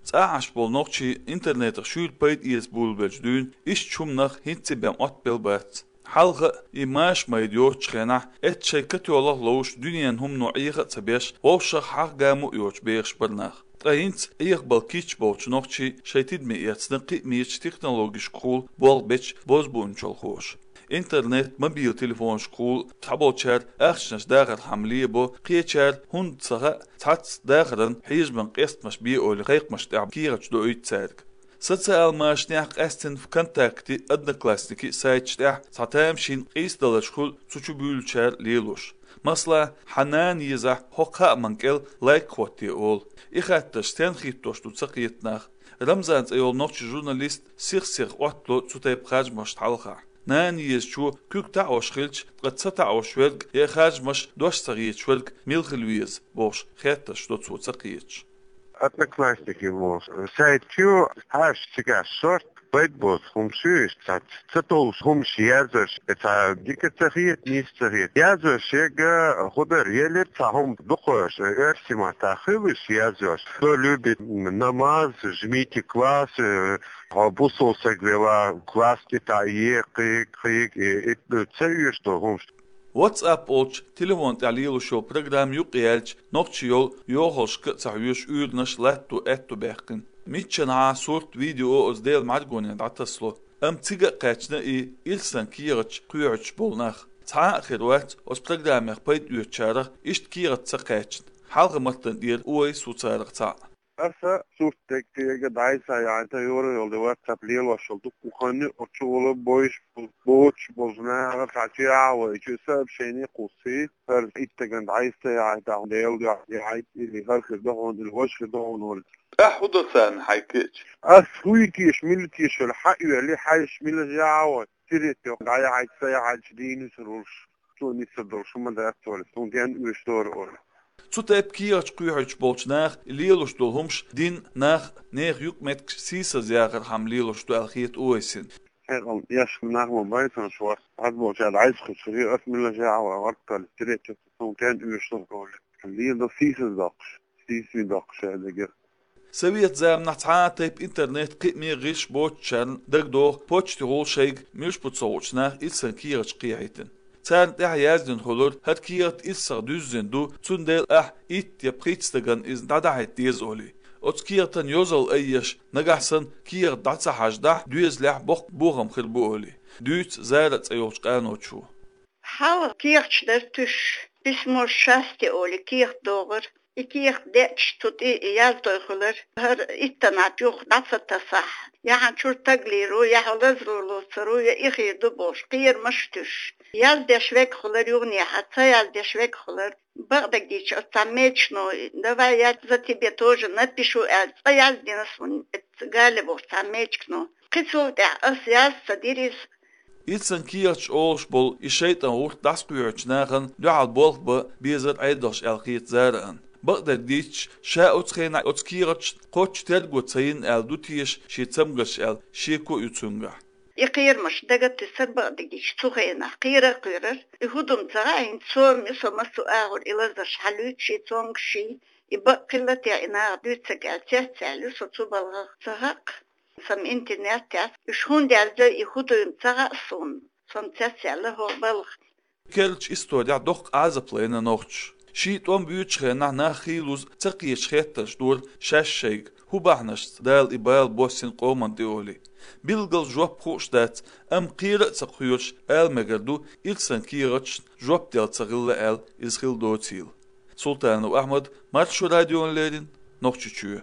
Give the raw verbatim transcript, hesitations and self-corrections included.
ЦӀахь Ӏаш болу нохчий интернетах шуьйра пайда эца буьйлабелча дуьйна иштта хӀуманах хӀинцца бен Ӏоттабелла бац. Хьалха и маша майда йоцучу хенахь, эцца шайн катоьхнарг ловш, дуьненан хӀумано Ӏеха а ца беш, вовшах хьагӀ-гамо а йоцуш бехаш бара нах. Ткъа хӀинца Ӏехабала кийча болчу нохчий шайн тидаме эцна кхиамечу технологешкахула болх бечу бозбуунчалхоша. Интернет, мобил телефонашкахула цхьаболчара ахчанаш дахархьама лебо, кхечара хӀунда ца хаьа, цхьацца дахаран хьежаман къестамаш бе олий кхайкхамаш тӀехь кехаташ доуьйту цаьрга. Социал машанехь, къаьсттина ВКонтакте, Одноклассники сайташ тӀехь цхьа тамашийна къийсадаларш хуьлу цу чу буьйлучара лелош. Масала, хьан нана езахь хӀокху хааман кӀел лайк хӀотте олу. И хаттарш стенна хӀиттош ду ца кхета нах. Рамзан цӀе йолу нохчи журналист сих-сиха Ӏоттало цу тайпа харжамашна хьалха. Нана езачо куьг таӀош хилча, ткъа ца таӀош верг я харжамаш дош ца хеташ верг мила хила веза бохуш хеттарш до цо ца кхеташ. Одноклассники волу сайт ю, хьаша цигахь шорт, пайда боцу хӀумаш ю, иштта ца товш хӀумаш яздарш, цхьа дика ца хета, нийса ца хета. Яздарш ерг хӀун дара, елира цхьа хӀума дукхош, оьрсийн маттахь хуьлуш яздарш. Кто любит намаз, жмите класс, э, хьо бусалба стаг велахь, класс тӀе таӀе, кхайкха, кхайкха, и, и, ца оьшу долу хӀумаш. WhatsApp олучу телефон тӀехь лелош йолу программа юкъаяьлча, нохчий йолу йохаллашка а ца хьоьжуш уьйранаш латто аьтто баьккхина. Миччанхьа сурт, видео оцу Делан мӀаргоне дӀатасало. Амма цига а кхаьчна и ирсан кехаташ кхоьхьуьйтуш болу нах. Цхьа а хир вац оцу программех пайда оьцучарах иштта кехат ца кхаьчна. Хьалха-маттана тӀера ойла йо царах цхьаъ. Аса сурт дерг кхига дӀасаяхьийта, юра йолу WhatsApp лелош йолу дуккха хан ю, оцу чугӀула бойуш болу, боцуш болчу наха цхьа чу яхьа вайчу сообщение кхуссий, хӀара иттаган дӀасаяхьийта, Делан дуьхьа яхьийта, или хӀара хир ду хьуна, или важа хир ду хьуна олий. Ахьа хӀун до царна хьайга кхиъча? Ас хӀуй кийша, мила кийша, хьаоьли, хьайша мила яхьа вай, сире тӀе дӀаяхьийта, ца яхьийча дийна ца луш. Цо нисса долуш хӀума дац олий, суна ден оьшуш дора олий. Цу тайпа кехаташ кхоьхьуьйтуш болчу наха и лелош долу хӀумаш дин, нах, нехан юкъаметтигаш сийсазъяхархьама лелош ду аьлла хета Увайсина. Хьекъал еш нах ма байтанаш вац, аз болчара дӀайса хуьлуш, ас мила яхьа вай, варткалли, третья, суна ден оьшуш дора олий. Лела до сийсаздоккхуш, сийсаздоккхуш аьлла дагара. Совет заманахь цхьа а тайпа интернет кхиаме гӀирс боцучарна дагадогӀу почтехула шайга муьлш бу ца хуучу наха ирсан кехаташ кхехьийтина. Царна тӀехь яздина хуьлура, хӀара кехат ирсах дуьззина ду, цундела ахь итт я пхийтта стагана иза дӀадахьийта деза олий. Оцу кехатан йозалла айъеш, нагахь санна кехат дӀа ца хьаждахь, доьзалехь боккха бохам хир бу олий, дуьйцу Зара цӀе йолчу къаночо. Хьалха кехаташ дара туьш, письмо счастья олий кехат догӀура. И кехат деъча, цу тӀе яздой хуьлура, хӀара иттанна юха дӀа ца тасахь, я хьан чуьра стаг лийр ву, я хьо лазар лоцур ву, я и хир ду бохуш, кхерамаш туьш. Яздеш верг хуьлура юханехьа, ца яздеш верг хуьлура. Бакъдерг дийцича, оцу цхьа мечино, давай, я за тебя тоже напишу аьлла, цкъа яздина суна, оцу Галя бохучу цхьа мечино. Кхин цул тӀаьхьа ас яз ца дира иза. Ирсан кехаташ олуш болу и шайтӀан гӀурт дӀасакхоьхьучу нахана дуьхьал болх бан безар Ӏедалш аьлла хета Зарана. Бакъдерг дийцича, ша оцу хенахь оцу кехаташна кхоччуш терго ца йина аьлла ду теша шен цамгарш аьлла, шеко а ю цуьнгахь. И кхерамаш дага а туьсура, бакъдерг дийцича, цу хенахь кхера а кхоьрура. И хӀун ду-м ца хаьа, хӀинца сом ю, со массо а агӀор и лазарш хьалуьйту шен цомгушчий, и бакъ хилла те и наха дуьйцург аьлла, цецваьлла ю со цу балхах, ца хаьа. Сан интернет тӀехь уьш хӀунда яздо, и хӀун ду-м ца хаьа суна, со-м цецваьлла хӀокху балха. Керлачу исторехь доккха Ӏазап лайна нохчаша. Шен тӀом буьйцучу хенахь нах хийлаза ца кхеташ хеттарш дора шаьш шайга, хӀун бахьанашца Дала и бала боссина къоманна тӀе олий. Билггал жоп хууш дац, амма кхера а ца кхоьруш ала мегар ду, ирсан кехаташна жоп делла ца хилла аьлла, иза хилла доцийла. Султанов Ахьмад, Маршо радиона леррина, Нохчийчоь.